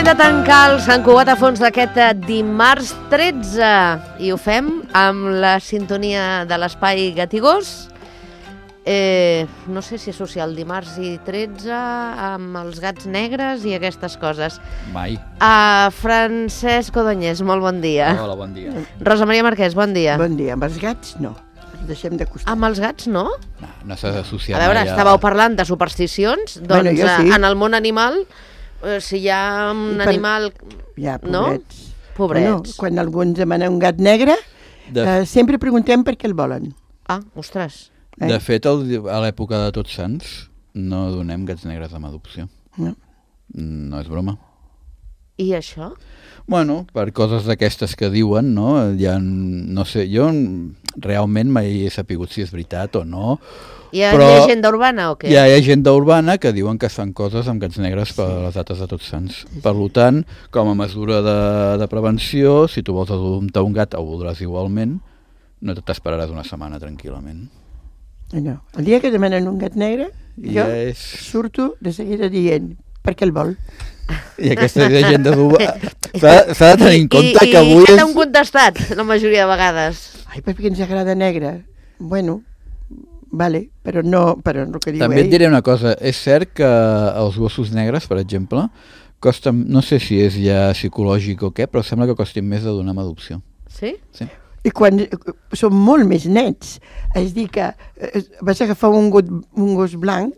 de tancar el Sant Cugat a fons d'aquest dimarts 13 i ho fem amb la sintonia de l'espai Gatigós. No sé si associar el dimarts i 13 amb els gats negres i aquestes coses. Mai. Francesc Codonyés, molt bon dia. Hola, bon dia. Rosa Maria Marquès, bon dia. Bon dia. Amb els gats, no. Deixem de costar. Amb els gats, no? No s'ha d'associar A veure, mai estàveu parlant de supersticions, doncs Bueno, jo sí. en el món animal, si hi ha un animal... Ja, no? pobrets. Pobrets. Bueno, quan algú ens demana un gat negre, sempre preguntem per què el volen. Ah, ostres. De fet, a l'època de Tots Sants no donem gats negres amb adopció. No. No és broma. I això? Bueno, per coses d'aquestes que diuen, no? Ja, no sé, jo realment mai he sapigut si és veritat o no. Hi ha llegenda urbana o què? Hi ha llegenda urbana que diuen que es fan coses amb gats negres per les dates de Tots Sants. Per tant, com a mesura de prevenció, si tu vols adoptar un gat o ho voldràs igualment, no t'esperaràs una setmana tranquil·lament. No. El dia que demanen un gat negre, jo surto de seguida dient per què el vol. I aquesta llegenda s'ha de tenir en compte que avui I què t'han contestat la majoria de vegades? Ai, perquè ens agrada negre. Bueno, vale, però no que diu També ell. et diré una cosa, és cert que els gossos negres, per exemple, costen, no sé si és ja psicològic o què, però sembla que costin més de donar amb adopció. Sí? Sí. I quan són molt més nets, és dir que vas agafar un gos blanc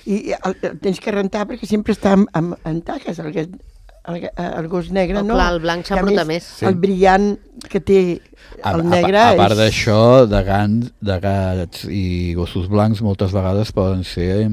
i el tens que rentar perquè sempre està en taques, el gos negre, no? Clar, el blanc s'embruta més. Sí. El brillant que té el negre a part d'això, de gats i gossos blancs moltes vegades poden ser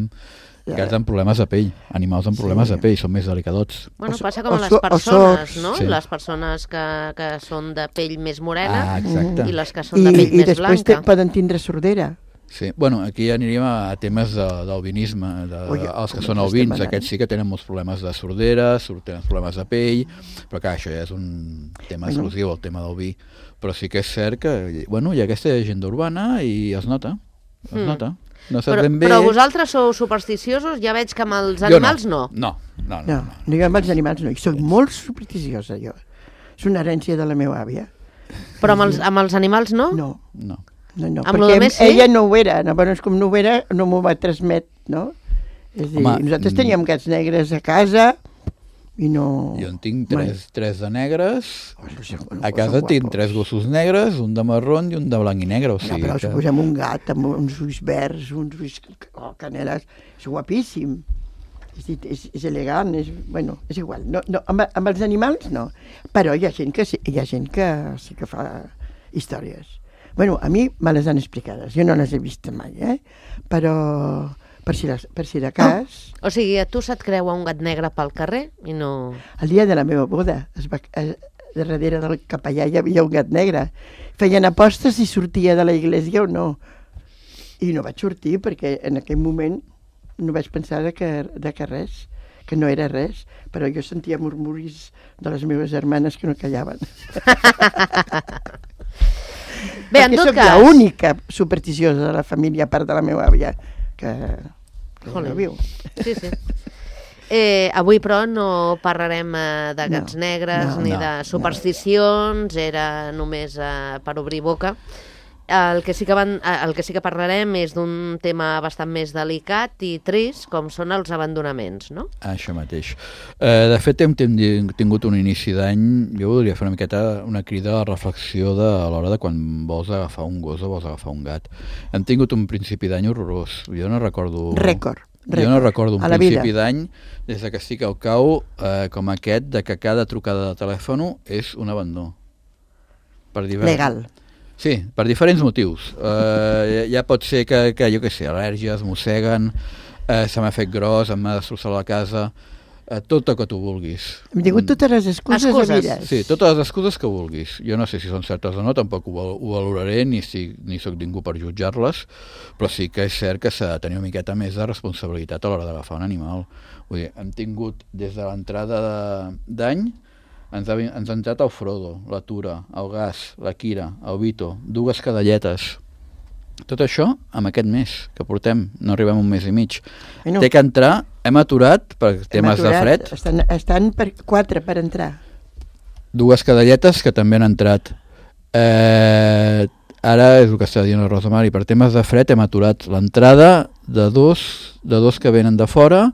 gats amb problemes de pell, animals amb problemes de pell, són més delicadots. Bueno, passa com a les persones, no? Les persones que són de pell més morena i les que són de pell més blanca. I després poden tindre sordera. Sí, bueno, aquí aniríem a temes d'albinisme, els que són albins, aquests sí que tenen molts problemes de sordera, tenen problemes de pell, però clar, això ja és un tema exclusiu, el tema del vi, però sí que és cert que, bueno, hi ha aquesta llegenda urbana i es nota, No sé ben bé. Però vosaltres sou supersticiosos? Ja veig que amb els animals no. No, jo amb els animals no, i soc molt supersticiosa jo. És una herència de la meva àvia. Però amb els animals no? No. Amb lo més sí? Ella no ho era, és com no ho era, no m'ho va transmet, no? És dir, nosaltres teníem gats negres a casa i no... Jo en tinc tres de negres, a casa tinc 3 gossos negres, un de marrón i un de blanc i negre. O sigui però si posem un gat amb uns ulls verds, uns ulls caneles, és guapíssim, és elegant, és igual. Amb els animals no, però hi ha gent que sí que fa històries. Bueno, a mi me les han explicades, jo no les he vist mai, però... per si de cas... O sigui, a tu se't creua un gat negre pel carrer i no... El dia de la meva boda, darrere del capellà hi havia un gat negre. Feien apostes si sortia de la iglesia o no. I no vaig sortir perquè en aquell moment no vaig pensar que res, que no era res, però jo sentia murmuris de les meves germanes que no callaven. Bé, en tot cas... Perquè soc l'única supersticiosa de la família, a part de la meva àvia, que no viu. Sí. Avui, però, no parlarem de gats negres ni de supersticions, era només per obrir boca. El que sí que parlarem és d'un tema bastant més delicat i trist, com són els abandonaments, no? Això mateix. De fet, hem tingut un inici d'any, jo voldria fer una miqueta una crida a reflexió a l'hora de quan vols agafar un gos o vols agafar un gat. Hem tingut un principi d'any horrorós. Jo no recordo... Jo no recordo un principi d'any, des que estic al cau, com aquest, de que cada trucada de telèfon és un abandó. Legal. Sí, per diferents motius. Ja pot ser que jo què sé, al·lèrgies, mosseguen, se m'ha fet gros, em m'ha destrossat la casa, tot el que tu vulguis. Hem tingut totes les excuses. Sí, totes les excuses que vulguis. Jo no sé si són certes o no, tampoc ho valoraré, ni soc ningú per jutjar-les, però sí que és cert que s'ha de tenir una miqueta més de responsabilitat a l'hora d'agafar un animal. Vull dir, hem tingut des de l'entrada d'any, ens ha entrat el Frodo, la Tura, el Gas, la Kira, el Vito, 2 cadelletes. Tot això amb aquest mes que portem, no arribem a un mes i mig. Bueno, Té que entrar, hem aturat per temes de fred. Estan 4 per entrar. 2 cadelletes que també han entrat. Ara és el que està dient la Rosa Mari, per temes de fred hem aturat l'entrada de dos que venen de fora,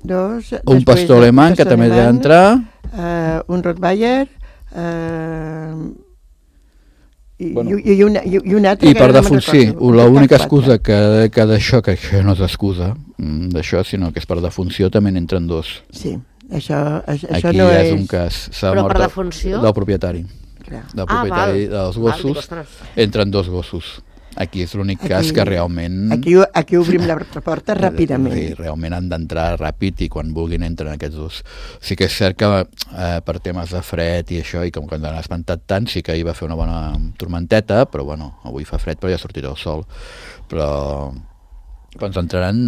un pastor alemany que també ha d'entrar, un Rottweiler, i un altre. I per defunció, l'única excusa que d'això, que això no és excusa d'això, sinó que és per defunció, també n'entren 2. Sí, això aquí no és un cas, s'ha mort del propietari. Del propietari dels gossos, entren 2 gossos. Aquí és l'únic cas que realment... Aquí obrim la porta ràpidament. Sí, realment han d'entrar ràpid i quan vulguin entren aquests 2. Sí que és cert que per temes de fred i això, i com que ens han espantat tant, sí que hi va fer una bona tormenteta, però bueno, avui fa fred però ja sortirà el sol. Però ens entraran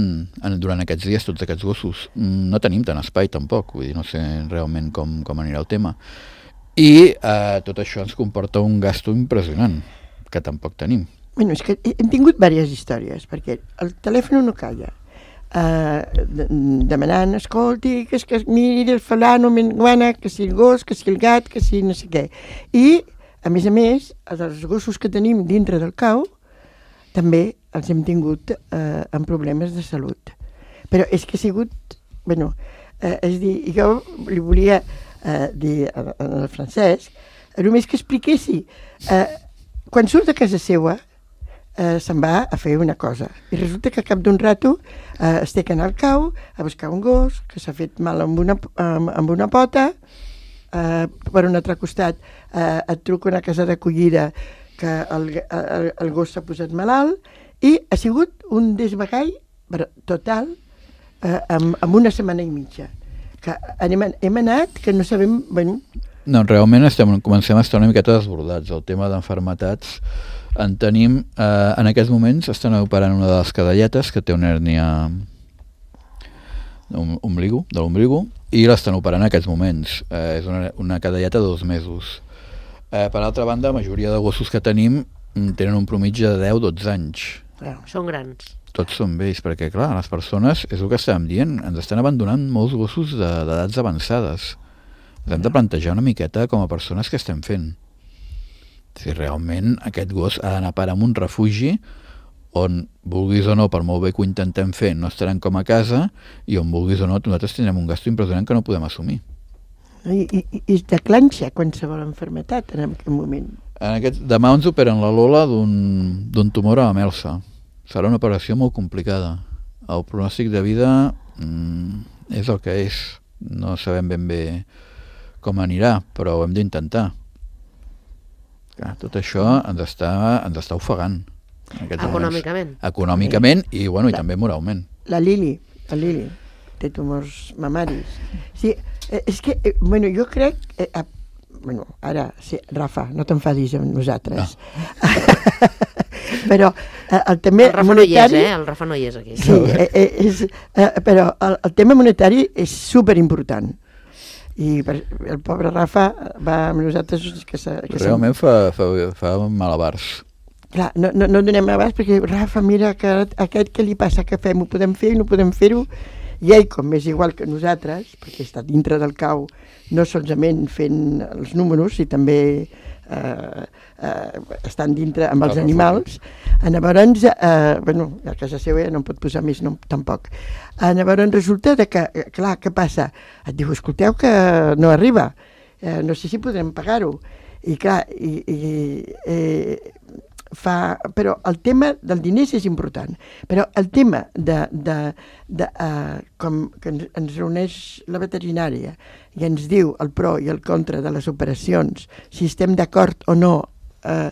durant aquests dies tots aquests gossos. No tenim tant espai tampoc, vull dir, no sé realment com anirà el tema. I tot això ens comporta un gasto impressionant, que tampoc tenim. Bueno, és que hem tingut diverses històries, perquè el telèfon no calla, demanant, escolti, que miri el fulano, menguana, que si el gos, que si el gat, que si no sé què. I, a més, els gossos que tenim dintre del cau, també els hem tingut amb problemes de salut. Però és que ha sigut, bueno, és dir, jo li volia dir al Francesc, només que expliquessi, quan surt de casa seva, se'n va a fer una cosa. I resulta que al cap d'un rato es té que anar al cau a buscar un gos que s'ha fet mal amb una pota, per un altre costat et truca una casa d'acollida que el gos s'ha posat malalt i ha sigut un desbagall total amb una setmana i mitja. Que hem anat que no sabem... Bueno. No, realment comencem a estar una miqueta desbordats. El tema d'enfermetats en tenim, en aquests moments estan operant una de les cadelletes que té una hèrnia de l'ombligo i l'estan operant en aquests moments. És una cadelleta de 2 mesos. Per altra banda, la majoria de gossos que tenim tenen un promitge de 10-12 anys. Són grans. Tots són vells, perquè clar, les persones, és el que estàvem dient, ens estan abandonant molts gossos d'edats avançades. Ens hem de plantejar una miqueta com a persones que estem fent. Si realment aquest gos ha d'anar a parar en un refugi on, vulguis o no, per molt bé que ho intentem fer, no estaran com a casa, i on, vulguis o no, nosaltres tindrem un gasto impressionant que no podem assumir. I es declanxa qualsevol enfermetat en aquest moment. Demà ens operen la Lola d'un tumor a la melsa. Serà una operació molt complicada. El pronòstic de vida és el que és. No sabem ben bé com anirà, però ho hem d'intentar. Tot això ens està ofegant. Econòmicament i, bueno, i també moralment. La Lili té tumors mamaris. Sí, és que, bueno, jo crec... Bueno, ara, sí, Rafa, no t'enfadis amb nosaltres. No. Però el tema monetari... El Rafa no hi és aquí. Sí, però el tema monetari és superimportant. I el pobre Rafa va amb nosaltres... Realment fa malabars. Clar, no donem abast perquè Rafa, mira, que aquest què li passa, què fem? Ho podem fer, no podem fer-ho? I ell, com és igual que nosaltres, perquè està dintre del cau, no solament fent els números, i també estan dintre amb els animals. Llavors, bueno, a casa seva ja no en pot posar més nom, tampoc. Llavors resulta que, clar, què passa? Et diu, escolteu que no arriba, no sé si podrem pagar-ho. I clar, però el tema del diners és important, però el tema com que ens reuneix la veterinària i ens diu el pro i el contra de les operacions, si estem d'acord o no a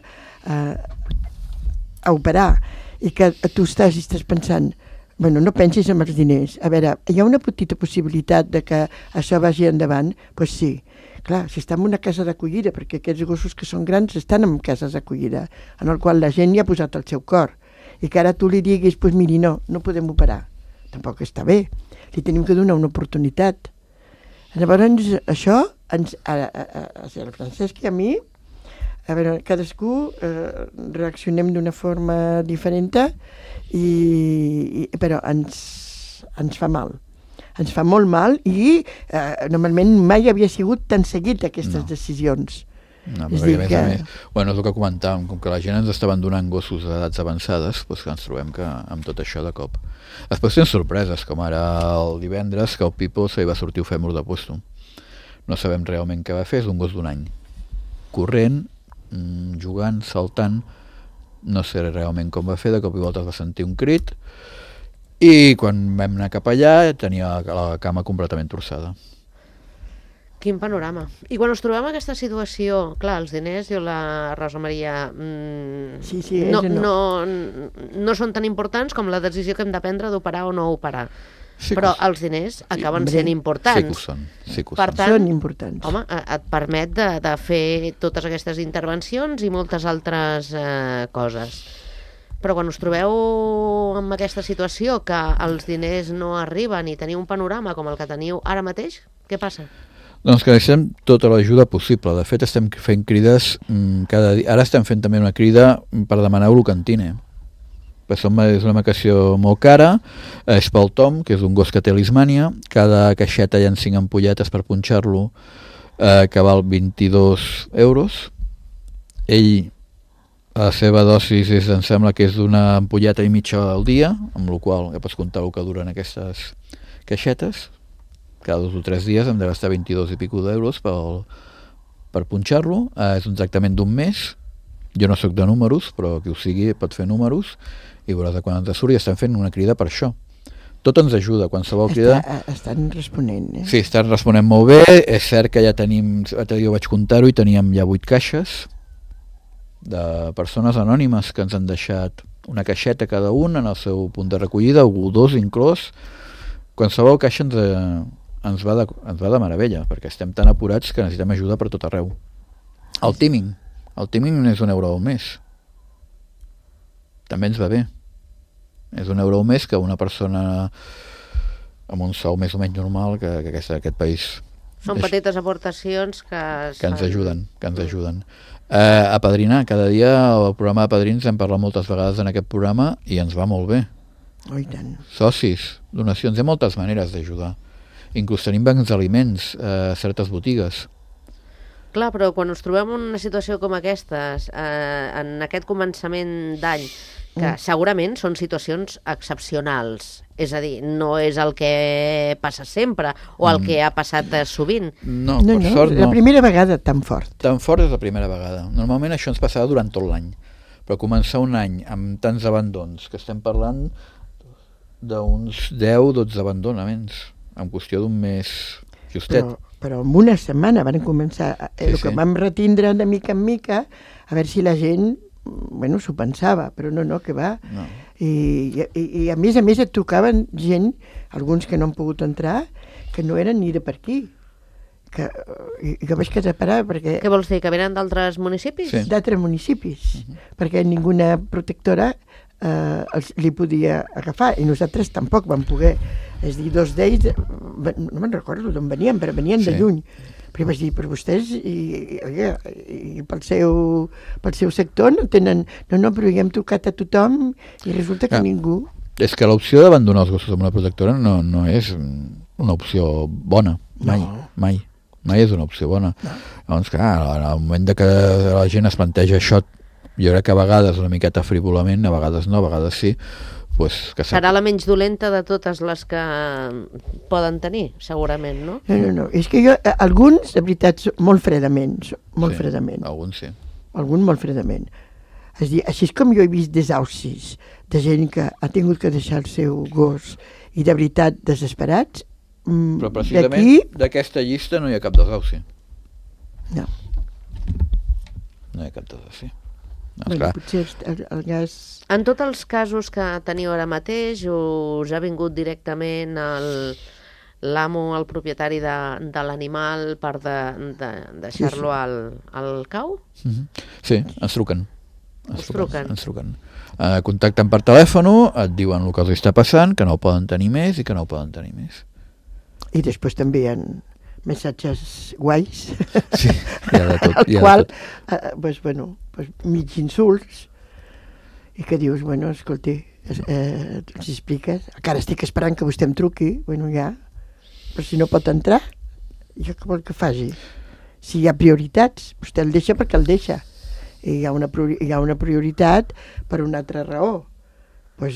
operar, i que tu estàs pensant, bueno, no pensis en els diners, a veure, hi ha una petita possibilitat de que això vagi endavant? Doncs sí. Clar, si està en una casa d'acollida, perquè aquests gossos que són grans estan en cases d'acollida, en el qual la gent hi ha posat el seu cor, i que ara tu li diguis, doncs miri, no podem operar. Tampoc està bé. Li tenim que donar una oportunitat. Llavors, això, el Francesc i a mi, a veure, cadascú reaccionem d'una forma diferent, però ens fa mal. Ens fa molt mal i normalment mai havia sigut tan seguit aquestes decisions. No, perquè a més, bueno, és el que comentàvem, com que la gent ens estaven donant gossos d'edats avançades, doncs que ens trobem que amb tot això de cop. Després tenen sorpreses, com ara el divendres, que el Pipo se li va sortir el fèmur de puesto. No sabem realment què va fer, és un gos d'un any. Corrent, jugant, saltant, no sé realment com va fer, de cop i volta es va sentir un crit, i quan vam anar cap allà tenia la cama completament torçada. Quin panorama. I quan us trobem en aquesta situació, clar, els diners, diu la Rosa Maria, no són tan importants com la decisió que hem de prendre d'operar o no operar. Sí, però els diners acaben sent importants. Sí que ho són. Per tant, són importants. Home, et permet de fer totes aquestes intervencions i moltes altres coses. Però quan us trobeu en aquesta situació que els diners no arriben i teniu un panorama com el que teniu ara mateix, què passa? Doncs que deixem tota l'ajuda possible. De fet, estem fent crides cada dia. Ara estem fent també una crida per demanar Ulocantine. És una medicació molt cara, és pel Tom, que és un gos que té lismània. Cada caixeta hi ha 5 ampolletes per punxar-lo, que val 22 euros. Ell, la seva dosis em sembla que és d'una ampolleta i mitja al dia, amb la qual ja pots comptar el que duren aquestes caixetes. Cada 2 o 3 dies hem de gastar 22 i pico d'euros per punxar-lo. És un tractament d'un mes. Jo no sóc de números, però qui ho sigui pot fer números i veuràs de quan ens surt, i estem fent una crida per això. Tot ens ajuda, qualsevol crida. Estan responent, Sí, estan responent molt bé. És cert que ja tenim, jo vaig comptar-ho, i teníem ja 8 caixes de persones anònimes que ens han deixat una caixeta cada un en el seu punt de recollida, o 2 inclòs. Qualsevol caixa ens va de meravella, perquè estem tan apurats que necessitem ajuda per tot arreu. El tíming és €1 al mes. També ens va bé. És €1 al mes que una persona amb un sou més o menys normal que aquest país. Són petites aportacions que ens ajuden. A padrinar, cada dia el programa de padrins hem parlat moltes vegades en aquest programa i ens va molt bé. Oh, i tant. Socis, donacions, hi ha moltes maneres d'ajudar. Inclús tenim bancs d'aliments a certes botigues. Clar, però quan ens trobem en una situació com aquestes, en aquest començament d'any, que segurament són situacions excepcionals, és a dir, no és el que passa sempre o el que ha passat sovint. No, per sort no. La primera vegada tan fort. Tan fort és la primera vegada. Normalment això ens passava durant tot l'any, però començar un any amb tants abandons, que estem parlant d'uns 10-12 abandonaments en qüestió d'un mes justet. Però en una setmana van començar el que vam retindre de mica en mica, a veure si la gent s'ho pensava, però no, que va. No. I a més et trucaven gent, alguns que no han pogut entrar, que no eren ni de per aquí. Que vaig quedar parar perquè... Què vols dir, que venen d'altres municipis? Sí. D'altres municipis, perquè ninguna protectora li podia agafar, i nosaltres tampoc vam poder. És dir, 2 d'ells, no me'n recordo d'on venien, però venien de lluny. Però vaig dir, per vostès i pel seu sector no tenen... No, però hi hem trucat a tothom i resulta que ningú... És que l'opció d'abandonar els gossos amb una protectora no és una opció bona, mai. Mai és una opció bona. Llavors, clar, en el moment que la gent es planteja això, jo crec que a vegades una miqueta frívolament, a vegades no, a vegades sí, pues, que serà la menys dolenta de totes les que poden tenir, segurament, no? No, és que alguns, de veritat, molt fredament. Alguns sí. Alguns molt fredament. És dir, així com jo he vist desaucis de gent que ha tingut que deixar el seu gos i de veritat desesperats, però precisament d'aquesta llista no hi ha cap desauci. No. No hi ha cap desauci. Potser el gas... En tots els casos que teniu ara mateix, us ha vingut directament l'amo, el propietari de l'animal per deixar-lo al cau? Sí, ens truquen. Ens truquen. Contacten per telèfon, et diuen el que els està passant, que no ho poden tenir més i que no ho poden tenir més. I després també hi ha missatges guais, Sí, hi ha de tot. al qual, mig insults, i que dius, bueno, escolti, els expliques, encara estic esperant que vostè em truqui, bueno, ja, però si no pot entrar, jo què vol que faci? Si hi ha prioritats, vostè el deixa perquè el deixa, i hi ha una prioritat per una altra raó. No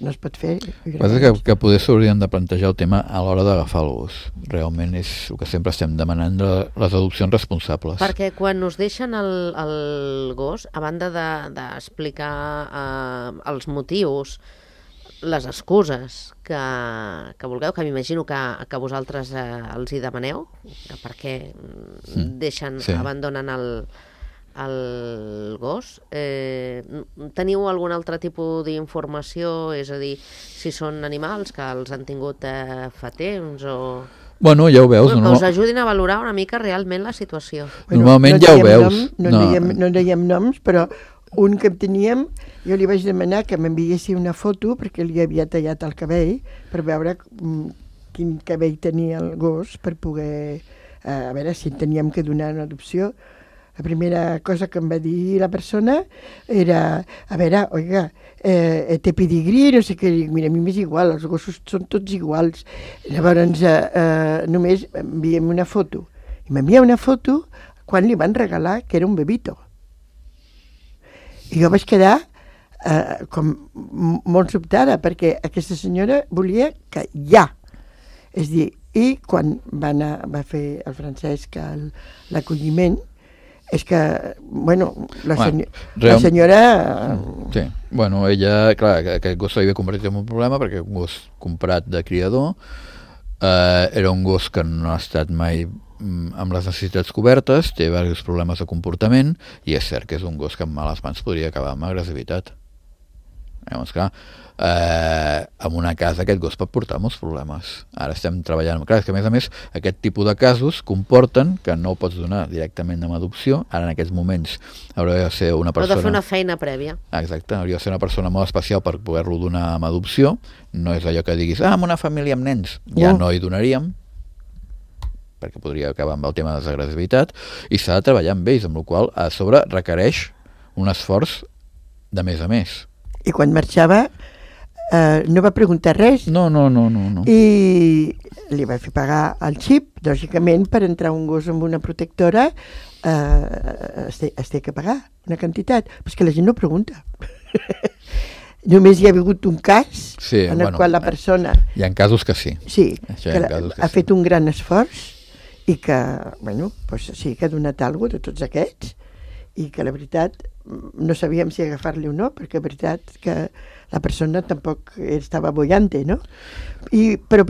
es pot fer. Passa que poder s'haurien de plantejar el tema a l'hora d'agafar el gos. Realment és el que sempre estem demanant de les adopcions responsables. Perquè quan us deixen el gos, a banda d'explicar els motius, les excuses que vulgueu, que m'imagino que vosaltres els hi demaneu, que per què deixen, abandonen el gos, teniu algun altre tipus d'informació, és a dir, si són animals que els han tingut fa temps o... Bueno, ja ho veus. Que us ajudin a valorar una mica realment la situació. Normalment ja ho veus. No dèiem noms, però un que teníem, jo li vaig demanar que m'enviessi una foto perquè li havia tallat el cabell per veure quin cabell tenia el gos per poder, a veure si teníem que donar una adopció. La primera cosa que em va dir la persona era, a veure, oiga, té pedigrí, no sé què, mira, a mi m'és igual, els gossos són tots iguals. Llavors només enviem una foto. I m'envia una foto quan li van regalar que era un bebito. I jo vaig quedar com molt sobtada, perquè aquesta senyora volia que ja. És dir, i quan va fer el Francesc l'acolliment, és que, bueno, la senyora... Sí, bueno, ella, clar, aquest gos s'havia convertit en un problema perquè un gos comprat de criador, era un gos que no ha estat mai amb les necessitats cobertes, té diversos problemes de comportament i és cert que és un gos que en males mans podria acabar amb agressivitat. Llavors, clar, en una casa aquest gos pot portar molts problemes. Ara estem treballant... Clar, és que a més, aquest tipus de casos comporten que no ho pots donar directament amb adopció. Ara en aquests moments hauria de ser una persona... Heu de fer una feina prèvia. Exacte, hauria de ser una persona molt especial per poder-lo donar amb adopció. No és allò que diguis, amb una família amb nens. Ja no hi donaríem, perquè podria acabar amb el tema de desagressivitat, i s'ha de treballar amb ells, amb la qual cosa a sobre requereix un esforç de més a més. I quan marxava no va preguntar res. No. I li va fer pagar el xip, lògicament, per entrar un gos amb una protectora es té que pagar una quantitat, però és que la gent no pregunta. Només hi ha hagut un cas en el qual la persona... Hi ha casos que sí. Sí, que ha fet un gran esforç i que, bueno, sí que ha donat alguna cosa de tots aquests i que la veritat no sabíem si agafar-li o no, perquè la veritat que la persona tampoc estava bollante, no? Però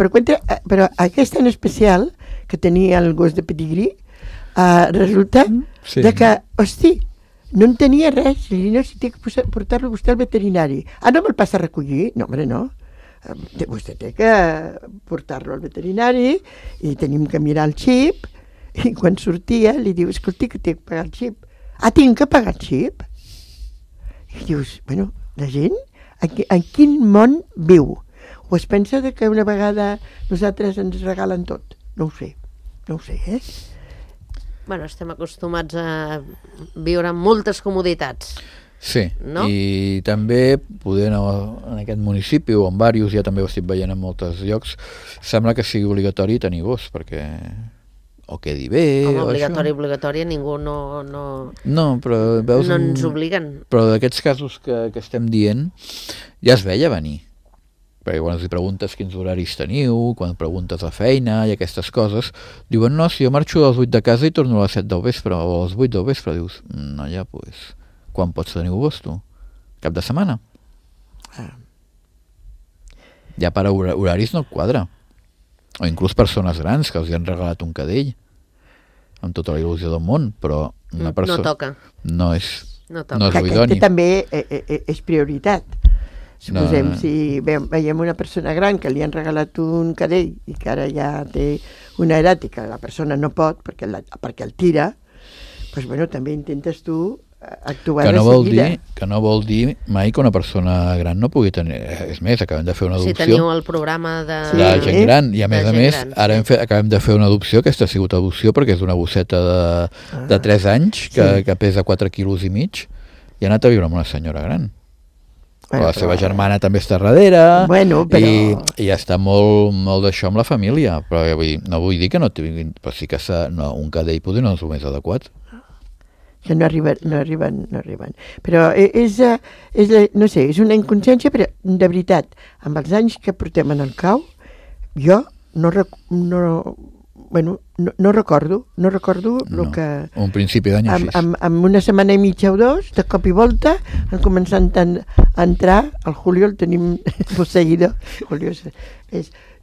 aquesta en especial, que tenia el gos de pedigrí, resulta de que, hosti, no en tenia res, i no, si té que portar-lo vostè al veterinari. No me'l passa a recollir? No, home, no. Vostè té que portar-lo al veterinari i tenim que mirar el xip, i quan sortia li diu, escolti, que té que pagar el xip. Tinc que pagar el xip? I dius, bueno, la gent en quin món viu? O es pensa que una vegada nosaltres ens regalen tot? No ho sé, Bueno, estem acostumats a viure amb moltes comoditats. Sí, no? I també poder en aquest municipi o en diversos, ja també ho estic veient en molts llocs, sembla que sigui obligatori tenir gos, perquè... o quedi bé... Com obligatori, ningú no... No, però veus... No ens obliguen. Però d'aquests casos que estem dient, ja es veia venir. Perquè quan els preguntes quins horaris teniu, quan preguntes a feina i aquestes coses, diuen, no, si jo marxo a les 8 de casa i torno a les 7 del vespre, o a les 8 del vespre, dius, no, ja, doncs, quan pots tenir gos, tu? Cap de setmana? Ja per horaris no et quadra. O inclús persones grans que els han regalat un cadell amb tota la il·lusió del món, però una persona... No toca. No és idoni. Que també és prioritat. Suposem, si veiem una persona gran que li han regalat un cadell i que ara ja té una edat i que la persona no pot perquè el tira, doncs bueno, també intentes tu actuar que de seguida. Que no vol dir mai que una persona gran no pugui tenir... És més, acabem de fer una adopció... Si teniu el programa de... De gent gran, i a més, gran, ara acabem de fer una adopció, aquesta ha sigut adopció perquè és una bosseta de 3 anys que pesa 4 quilos i mig i ha anat a viure amb una senyora gran. Bueno, la seva germana també està darrere, i ja està molt d'això amb la família, però no vull dir que no tinguin, però sí que un cadell potser no és el més adequat. Que no arriben. Però no sé, és una inconsciència, però de veritat, amb els anys que portem en el cau, jo no recordo el que... Un principi d'any així. Amb una setmana i mitja o 2, de cop i volta, han començat a entrar, el Julio el tenim posseïdor. Julio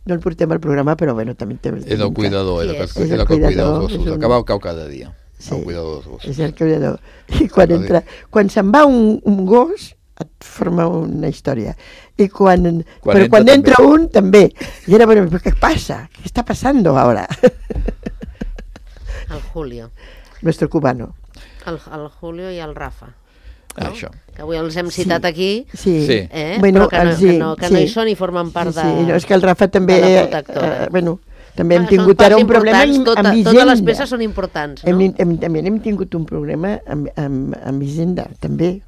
no el portem al programa, però bueno, també... És el cuidador, és el que cuida els gossos, el que va al cau cada dia. Sí, és el cuidador. I quan se'n va un gos, et forma una història. Però quan entra un, també. I era, bueno, què passa? Què està passando ahora? El Julio. Nuestro cubano. El Julio i el Rafa. Això. Que avui els hem citat aquí, bueno, però que no hi són i formen part de no, és que el Rafa també... També hem tingut ara un problema amb Hisenda. Totes les peces són importants, no? També hem tingut un problema amb Hisenda, també.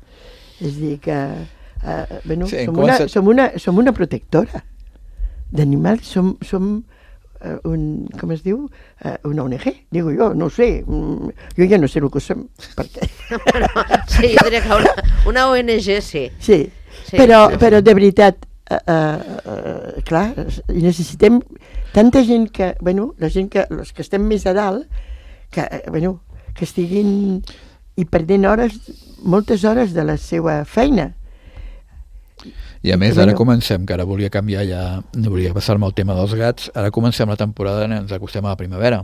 És a dir que som una protectora d'animals, som com es diu? Una ONG, digo jo, no ho sé. Jo ja no sé el que som, perquè... Sí, jo diria que una ONG sí. Sí, però de veritat, clar, necessitem tanta gent que, els que estem més a dalt, que estiguin i perdent moltes hores de la seva feina. I a més, ara comencem, que ara volia canviar ja, no volia passar-me el tema dels gats, ara comencem la temporada, ens acostem a la primavera.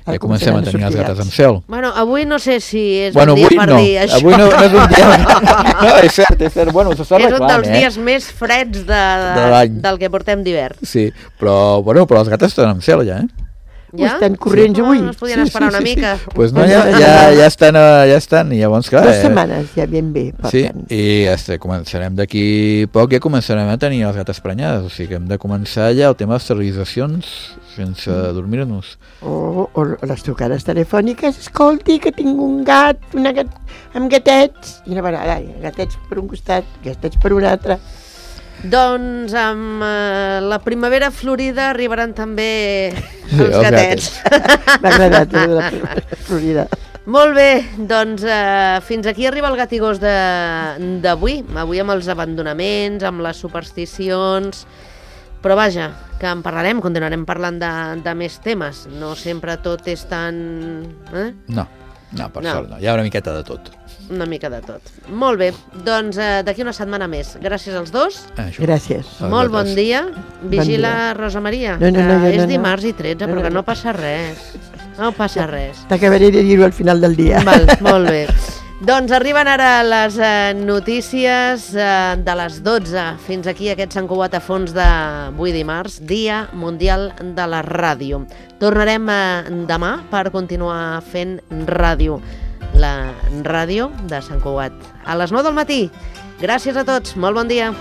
Ja comencem a tenir les gates amb cel. Bueno, avui no sé si és un dia per dir això. Avui no és un dia. No, és cert. Bueno, s'està arreglant, és un dels dies més freds del que portem d'hivern. Sí, però les gates estan amb cel ja, Ja? Estan corrents avui. No es podien esperar una mica. Pues no, ja estan, i llavors, clar... 2 setmanes, ja ben bé. Sí, i començarem d'aquí poc, ja començarem a tenir les gates prenyades, o sigui que hem de començar ja el tema de esterilitzacions sense dormir-nos. O les trucades telefòniques, escolti, que tinc un gat, amb gatets, i una vegada, gatets per un costat, gatets per un altre. Doncs amb la primavera florida arribaran també els gatets. M'ha agradat la florida. Molt bé, doncs fins aquí arriba el Gatigós d'avui. Avui amb els abandonaments, amb les supersticions, però vaja, que en parlarem, continuarem parlant de més temes. No sempre tot és tan... No, per sort no, hi ha una miqueta de tot. Una mica de tot. Molt bé, doncs d'aquí una setmana més. Gràcies als dos. Gràcies. Molt bon dia. Vigila, Rosa Maria, que és dimarts i 13, però que no passa res. No passa res. T'acabaré de dir-ho al final del dia. Val, molt bé. Doncs arriben ara les notícies de les 12. Fins aquí aquest Sant Cugat a fons d'avui dimarts, Dia Mundial de la Ràdio. Tornarem demà per continuar fent ràdio. La ràdio de Sant Cugat. A les 9 del matí. Gràcies a tots. Molt bon dia.